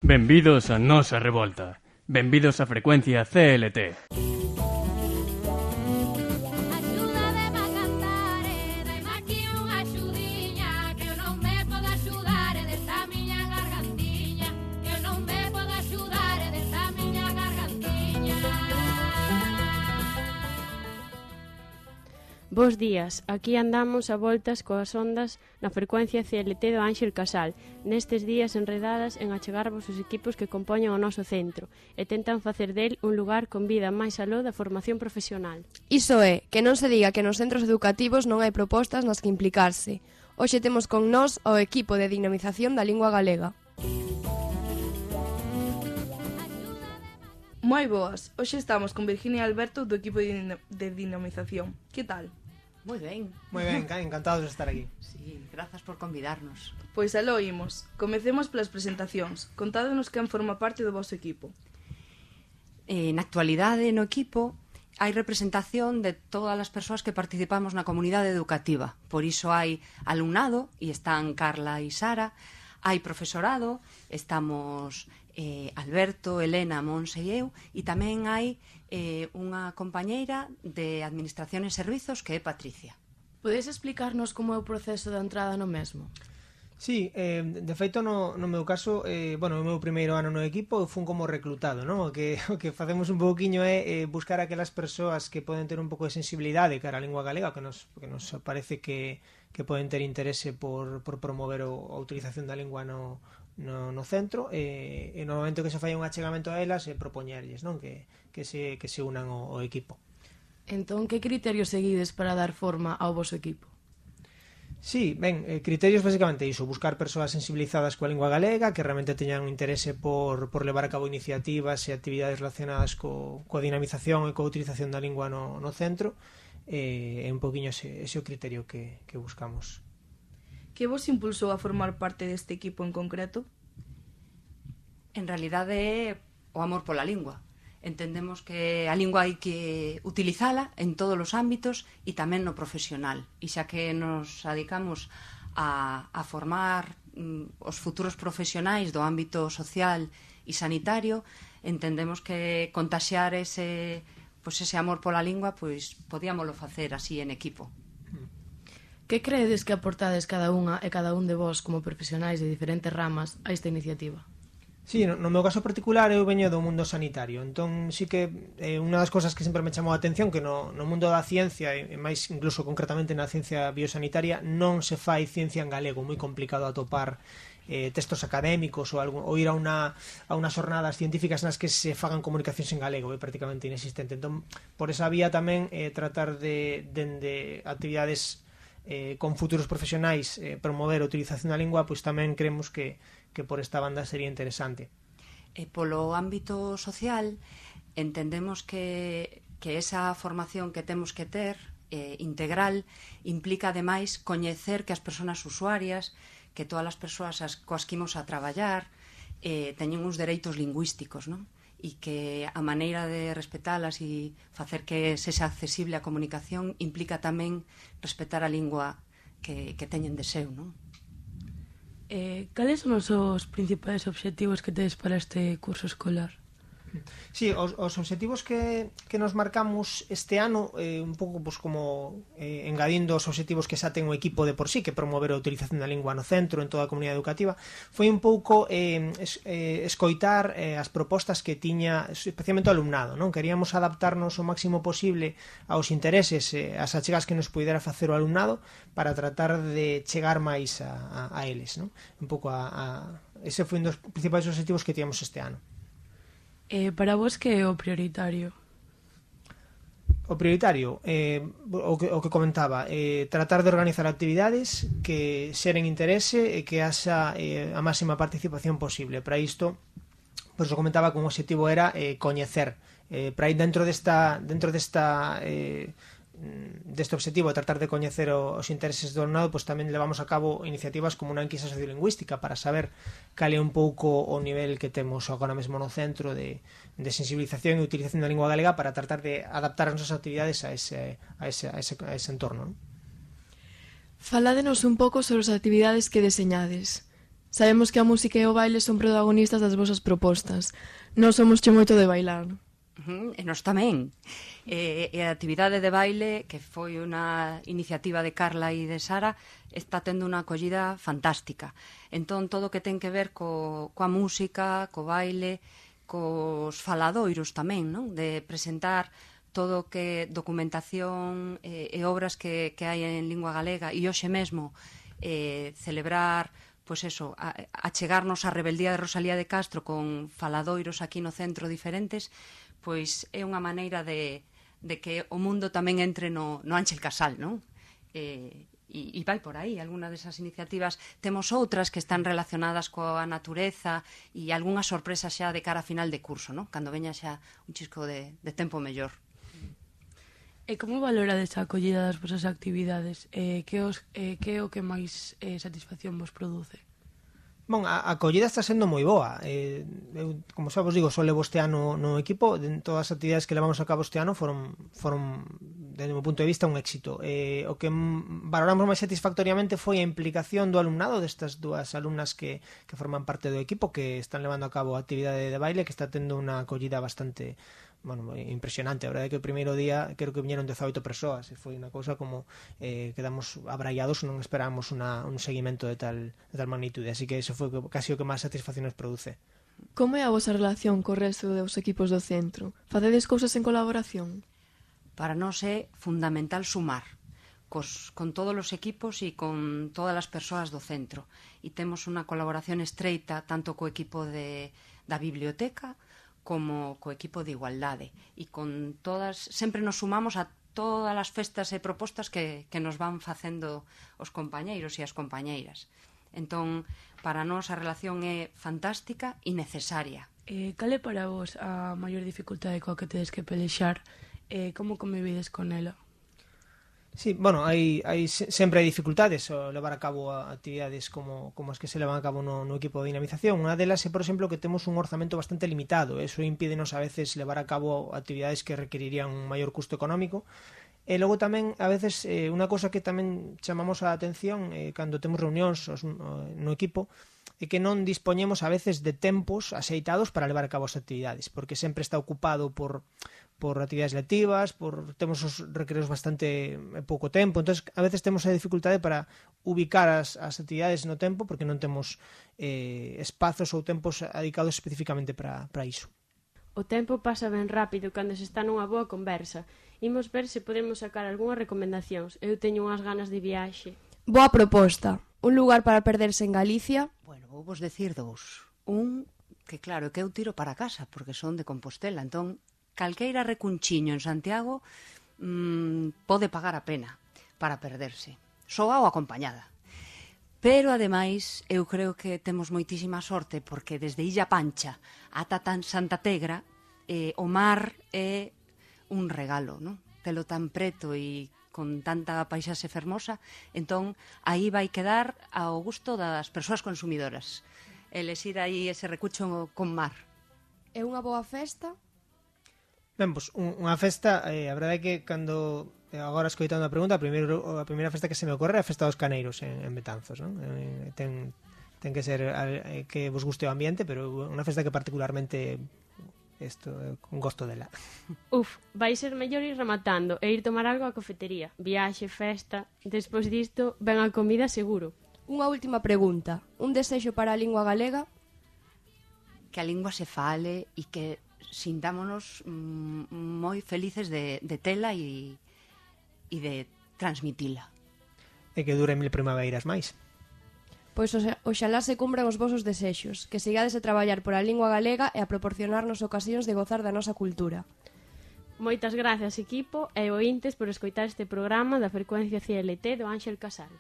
Benvidos a nosa revolta. Benvidos a frecuencia CLT. Bos días, aquí andamos a voltas coas ondas na frecuencia CLT do Ánxel Casal, nestes días enredadas en achegarvos os equipos que compoñen o noso centro e tentan facer del un lugar con vida máis aló da formación profesional. Iso é, que non se diga que nos centros educativos non hai propostas nas que implicarse. Hoxe temos con nós o equipo de dinamización da lingua galega. Moi boas, hoxe estamos con Virginia e Alberto do equipo de dinamización. Que tal? Moi ben. Moi ben, encantados de estar aquí. Sí, grazas por convidarnos. Pois aló imos. Comecemos polas presentacións. Contádenos quen forma parte do vosso equipo. Na actualidade, no equipo, hai representación de todas as persoas que participamos na comunidade educativa. Por iso hai alumnado, e están Carla e Sara, hai profesorado, estamos Alberto, Elena, Monse e eu, e tamén hai unha compañeira de Administración e Servizos que é Patricia. Podes explicarnos como é o proceso de entrada no mesmo? Sí, de feito no meu caso, o meu primeiro ano no equipo fun como reclutado, non? O que facemos un pouquiño é buscar aquelas persoas que poden ter un pouco de sensibilidade cara á lingua galega, que nos parece que poden ter interese por promover a utilización da lingua no centro, e normalmente o que se fai un achegamento a elas e propoñerlles, non? Que se unan ao equipo. Entón, que criterios seguides para dar forma ao voso equipo? Sí, ben, criterios basicamente iso, buscar persoas sensibilizadas coa lingua galega, que realmente teñan un interese por levar a cabo iniciativas e actividades relacionadas coa dinamización e coa utilización da lingua no centro, e un poquinho ese o criterio que buscamos. Que vos impulsou a formar parte deste equipo en concreto? En realidade é o amor pola lingua. Entendemos que a lingua hai que utilizala en todos os ámbitos e tamén no profesional. E xa que nos dedicamos a formar os futuros profesionais do ámbito social e sanitario, entendemos que contaxiar ese amor pola lingua, pois podíamoslo facer así en equipo. Que credes que aportades cada unha e cada un de vós como profesionais de diferentes ramas a esta iniciativa? Sí, no meu caso particular eu veño do mundo sanitario, entón sí que unha das cousas que sempre me chamou a atención que no mundo da ciencia, e máis incluso concretamente na ciencia biosanitaria, non se fai ciencia en galego, moi complicado atopar textos académicos ou ir a unas jornadas científicas nas que se fagan comunicacións en galego, é prácticamente inexistente. Entón, por esa vía tamén tratar de actividades con futuros profesionais promover a utilización da lingua, pois tamén creemos que por esta banda sería interesante. Polo ámbito social entendemos que esa formación que temos que ter integral implica ademais coñecer que as persoas usuarias, que todas as persoas coas que imos a traballar teñen uns dereitos lingüísticos, non? E que a maneira de respetalas e facer que sexa accesible a comunicación implica tamén respetar a lingua que teñen de seu, non? Cales son os principais obxectivos que tedes para este curso escolar? Sí, os obxectivos que nos marcamos este ano, un pouco como engadindo os obxectivos que xa ten o equipo de por sí, que promover a utilización da lingua no centro, en toda a comunidade educativa, foi un pouco escoitar as propostas que tiña especialmente o alumnado, non? Queríamos adaptarnos o máximo posible aos intereses, as achegas que nos pudera facer o alumnado para tratar de chegar máis a eles, non? Un pouco ese foi un dos principais obxectivos que tíamos este ano. Para vos que é o prioritario? O prioritario, o que comentaba, tratar de organizar actividades que xeren interese e que haxa a máxima participación posible. Para isto, pois o comentaba que un objetivo era coñecer. Para ir dentro deste objetivo de tratar de coñecer os intereses do alumnado, pois tamén levamos a cabo iniciativas como unha enquisa sociolingüística para saber cal é un pouco o nivel que temos agora mesmo no centro de sensibilización e utilización da lingua galega para tratar de adaptar as nosas actividades a ese entorno, non? Faládenos un pouco sobre as actividades que deseñades. Sabemos que a música e o baile son protagonistas das vosas propostas. Nós somos che moito de bailar. E nós tamén. E a actividade de baile, que foi unha iniciativa de Carla e de Sara, está tendo unha acollida fantástica. Entón, todo o que ten que ver coa música, co baile, cos faladoiros tamén, non? De presentar todo o que documentación e obras que hai en lingua galega, e hoxe mesmo celebrar, pois eso, achegarnos á rebeldía de Rosalía de Castro con faladoiros aquí no centro diferentes, pois é unha maneira de que o mundo tamén entre no Ángel Casal, non? E vai por aí, alguna desas iniciativas. Temos outras que están relacionadas coa natureza e algunhas sorpresas xa de cara a final de curso, non? Cando veña xa un chisco de tempo mellor. E como valorades a acollida das vosas actividades? Que é o que máis satisfacción vos produce? Bon, a acollida está sendo moi boa. Eu, como xa vos digo, só levo este ano no equipo. Todas as actividades que levamos a cabo este ano foron desde o meu punto de vista, un éxito. O que valoramos máis satisfactoriamente foi a implicación do alumnado, destas dúas alumnas que forman parte do equipo, que están levando a cabo a actividade de baile, que está tendo unha acollida bastante impresionante. A verdade é que o primeiro día creo que viñeron 18 persoas, e foi unha cousa como quedamos abraiados, non esperábamos un seguimento de tal magnitude, así que eso foi casi o que máis satisfacción nos produce. Como é a vosa relación co resto dos equipos do centro? Facedes cousas en colaboración? Para nós é fundamental sumar con todos os equipos e con todas as persoas do centro, e temos unha colaboración estreita tanto co equipo da biblioteca como co equipo de igualdade, e con todas, sempre nos sumamos a todas as festas e propostas que nos van facendo os compañeiros e as compañeiras. Entón, para nós a relación é fantástica e necesaria. Cal é para vos a maior dificultade coa que tedes que pelexar? Como convivides con ela? Sí, bueno, sempre hai dificultades ao levar a cabo actividades como as que se levan a cabo no equipo de dinamización. Unha delas é, por exemplo, que temos un orzamento bastante limitado. Eso impídenos a veces levar a cabo actividades que requerirían un maior custo económico. E logo tamén, a veces, unha cosa que tamén chamamos a atención cando temos reunións no equipo, é que non dispoñemos a veces de tempos axeitados para levar a cabo as actividades, porque sempre está ocupado por actividades lectivas, temos os recreos bastante pouco tempo, entón a veces temos a dificultade para ubicar as actividades no tempo, porque non temos espazos ou tempos dedicados especificamente para iso. O tempo pasa ben rápido cando se está nunha boa conversa. Imos ver se podemos sacar algunhas recomendacións. Eu teño unhas ganas de viaxe. Boa proposta. Un lugar para perderse en Galicia. Bueno, vou vos decir dous. Un, que claro, que eu tiro para casa, porque son de Compostela, entón calqueira recunchiño en Santiago pode pagar a pena para perderse, soa ou acompañada. Pero, ademais, eu creo que temos moitísima sorte, porque desde Illa Pancha ata Santa Tegra o mar é un regalo, non? Telo tan preto e con tanta paisaxe fermosa, entón aí vai quedar ao gusto das persoas consumidoras. Elexir aí ese recucho con mar. É unha boa festa? Ben, pois, unha festa, a verdade é que cando agora escoitando a pregunta, a primeira festa que se me ocorre é a festa dos Caneiros en Betanzos, non? Ten que ser que vos guste o ambiente, pero unha festa que particularmente con gosto dela. Vai ser mellor ir rematando e ir tomar algo á cafetería. Viaxe, festa, despois disto ven a comida seguro. Unha última pregunta. Un desexo para a lingua galega? Que a lingua se fale e que sintámonos moi felices de tela e de transmitila. E que dure 1000 primaveiras máis. Pois oxalá se cumpran os vosos desexos, que sigades a traballar por a lingua galega e a proporcionarnos ocasións de gozar da nosa cultura. Moitas gracias, equipo e ointes, por escoitar este programa da frecuencia CLT do Ángel Casal.